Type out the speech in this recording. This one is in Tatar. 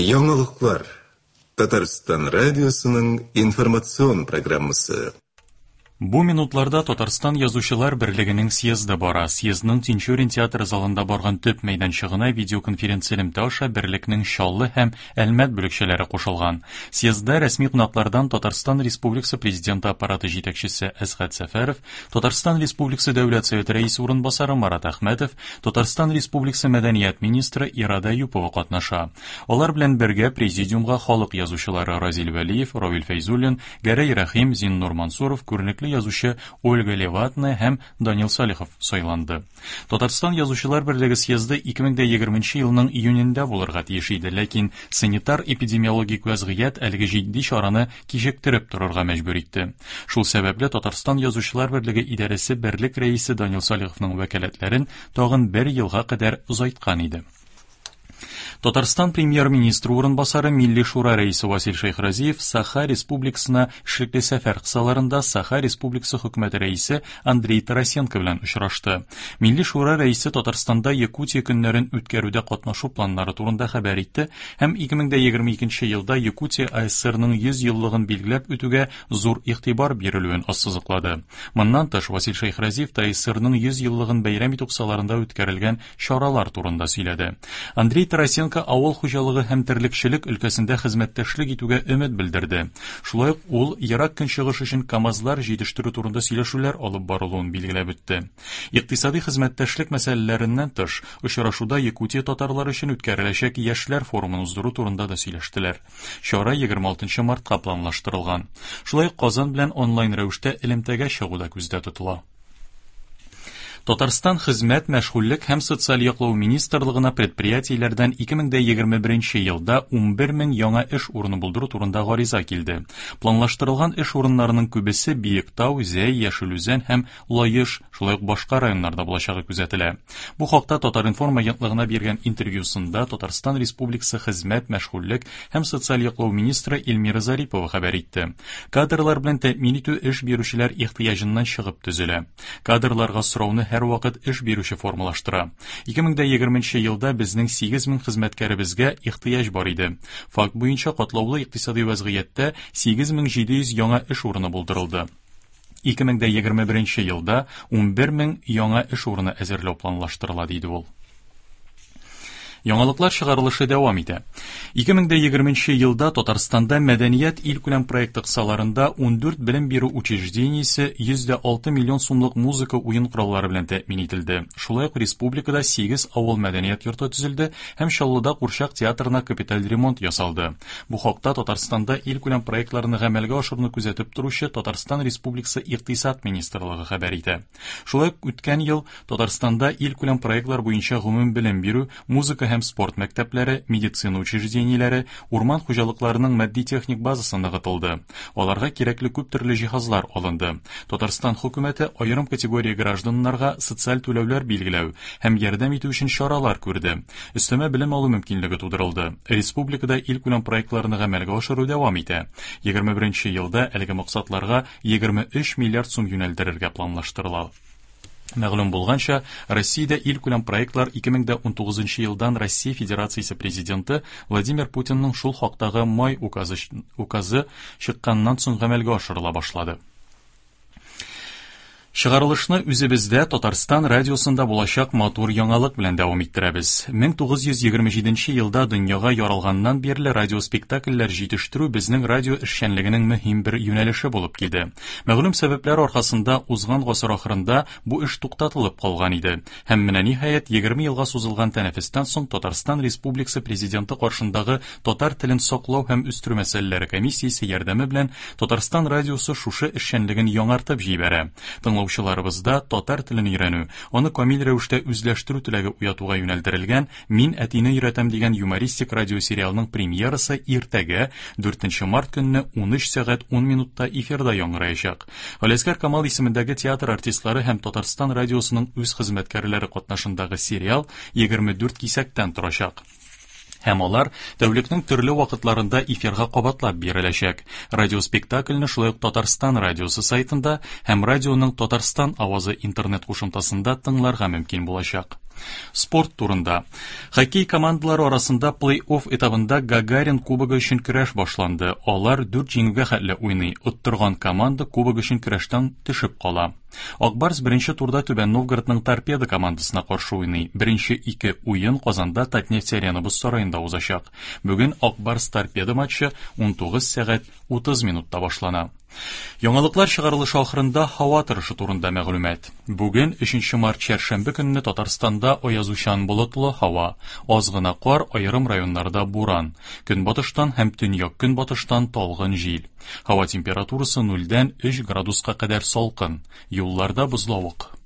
Яңалыклар. Татарстан радиосының информацион программасы. Бу минутларда Татарстан Язучылар берлегенең съезды бара. Съездның Тинчурин театры залында барган төп мәйданчыгына видеоконференцэлемтә аша берлекнең Чаллы һәм Әлмәт бүлекчәләре кушылган. Съездда рәсми кунаклардан Татарстан Республикасы Президенты аппараты җитәкчесе Әсгать Сәфәров, Татарстан Республикасы Дәүләт Советы Рәисе урынбасары Марат Әхмәтов, Татарстан Республикасы мәдәният министры Ирада Әюпова катнаша. Алар белән бергә президиумга халык язучылары Разил Вәлиев, Равил Фәйзуллин, Гәрәй Рәхим, Зиннур Мансуров, күренекле язучы Ольга Леватная һәм Данил Салихов сайланды. Татарстан Язучылар берлеге съезды 2020 елның июнендә булырга тиеш иде, ләкин санитар-эпидемиологик вәзгыять әлеге җитди чараны кичектереп торырга мәҗбүр итте. Шул сәбәпле Татарстан Язучылар берлеге идарәсе берлек рәисе Данил Салиховның вәкаләтләрен тагын бер елга кадәр озайткан иде. Татарстан премьер-министры урынбасары Милли Шура рәисе Васил Шәйхразиев Саха Республикасына эшлекле сәфәр кысаларында Саха Республикасы хөкүмәте рәисе Андрей Тарасенко белән очрашты. Милли Шура рәисе Татарстанда Якутия көннәрен үткәрүдә катнашу планнары турында хәбәр итте һәм 2022 елда Якутия АССРның 100 еллыгын билгеләп үтүгә зур игътибар бирелүен ассызыклады. Моннан тыш, Васил Шәйхразиев ТАССРның 100 еллыгын бәйрәм итү кысаларында үткәрелгән чаралар турында сөйләде. Андрей Тарасенко авыл хуҗалыгы һәм терлекчелек өлкәсендә хезмәттәшлек итүгә өмет белдерде. Шулай ук ул Ерак Көнчыгыш өчен КАМАЗлар җитештерү турында сөйләшүләр алып барылуын билгеләп үтте. Икътисади хезмәттәшлек мәсьәләләреннән тыш, очрашуда Якутия татарлары өчен үткәреләчәк яшьләр форумын уздыру турында да сөйләштеләр. Чара 26 мартка планлаштырылган. Шулай ук Казан белән онлайн рәвештә элемтәгә чыгу да күздә тотыла. Татарстан Хезмәт, мәшгульлек һәм социаль яклау министрлыгына предприятиеләрдән 2021 елда 11 мең яңа эш урыны булдыру турында гариза килде. Планлаштырылган эш урыннарының күбесе Биектау, Зәй, Яшел Үзән һәм Лаеш, шулай ук башка районнарда булачагы күзәтелә. Бу хакта Татар-информ агентлыгына биргән интервьюсында Татарстан Республикасы Хезмәт, мәшгульлек һәм социаль яклау министры Эльмира Зарипова хәбәр итте. Кадрлар белән тәэмин итү эш бирүчеләр ихтыяҗыннан чыгып төзелә. Кадрларга сорауны һәрвакыт эш бирүче формалаштыра. 2020 елда безнең 8 мең хезмәткәребезгә ихтыяҗ бар иде. Факт буенча катлаулы икътисади вәзгыятьтә 8700 яңа эш урыны булдырылды. 2021 елда 11 мең яңа эш урыны әзерләү планлаштырыла, диде ул. Яңалыклар чыгарылышы дәвам итә. 2020 елда Татарстанда Мәдәният илкүләм проекты кысаларында 14 белем бирү учреждениесе 106 миллион сумлык музыка уен кораллары белән тәэмин ителде. Шулай ук республикада 8 авыл мәдәният йорты төзелде һәм Чаллыда курчак театрына капиталь ремонт ясалды. Бу хакта Татарстанда илкүләм проектларны гамәлгә ашыруны күзәтеп торучы Татарстан Республикасы Икътисад министрлыгы хәбәр итә. Шулай ук үткән ел Татарстанда илкүләм проектлар буенча гомум белем бирү, музыка һәм спорт мәктәпләре, медицина учреждениеләре, урман хуҗалыкларының матди-техник базасы ныгытылды. Аларга кирәкле күп төрле җиһазлар алынды. Татарстан хөкүмәте аерым категория гражданнарга социаль түләүләр билгеләү һәм ярдәм итү өчен чаралар күрде. Өстәмә белем алу мөмкинлеге тудырылды. Республикада илкүләм проектларны гамәлгә ашыру дәвам итә. 21 елда әлеге максатларга 23 миллиард сум юнәлдерергә планлаштырыла. Мәгълүм булганча, Россиядә илкүләм проектлар 2019 елдан Россия Федерациясе Президенты Владимир Путинның шул хактагы май указы, указы чыкканнан соң гамәлгә ашырыла башлады. Чыгарылышны үзебездә Татарстан радиосында булачак матур яңалык белән дәвам иттерәбез. 1927 елда дөньяга яралганнан бирле радиоспектакльләр җитештерү безнең радио эшчәнлегенең мөһим бер юнәлеше булып килде. Мәгълүм сәбәпләр аркасында узган гасыр ахырында бу эш туктатылып калган иде. Һәм менә ниһаять 20 елга сузылган тәнәфестән соң Татарстан Республикасы Президенты каршындагы татар телен саклау һәм үстерү мәсьәләләре комиссиясе ярдәме белән Татарстан радиосы шушы эшчәнлеген яңартып җибәрә. Тыңлаучыларыбызда татар телен өйрәнү, аны камил рәвештә үзләштерү теләге уятуга юнәлдерелгән Мин әтине өйрәтәм дигән юмористик радиосериалның премьерасы иртәгә, 4 март көнне 13 сәгать 10 минутта эфирда яңгыраячак. Галиәсгар Камал исемендәге театр артистлары һәм Татарстан радиосының үз хезмәткәрләре катнашындагы сериал 24 кисәктән торачак. Һәм алар тәүлекнең төрле вакытларында эфирга кабатлап биреләчәк. Радиоспектакльне шулай ук Татарстан радиосы сайтында һәм радионың Татарстан авазы интернет кушымтасында тыңларга мөмкин булачак. Спорт турында. Хоккей командалары арасында плей-офф этабында Гагарин кубогы өчен көрәш башланды. Алар 4 җиңүгә хәтле уйный. Оттырган команда кубок өчен көрәштән төшеп кала. Ак Барс беренче турда Түбән Новгородның Торпедо командасына каршы уйный. Беренче ике уен Казанда Татнефть Арена боз сараенда узачак. Бүген Ак Барс Торпедо матчы 19 сәгать 30 минутта башлана. Яңалыклар чыгарылышы ахырында һава торышы турында мәгълүмат. Бүген 3 март чәршәмбе көнне Татарстанда аязучан болытлы һава, аз гына кар, аерым районнарда буран. Көнбатыштан һәм төньяк-көнбатыштан талгын җил. Һава температурасы 0-дән 3 градуска кадәр салкын. Юлларда бозлавык.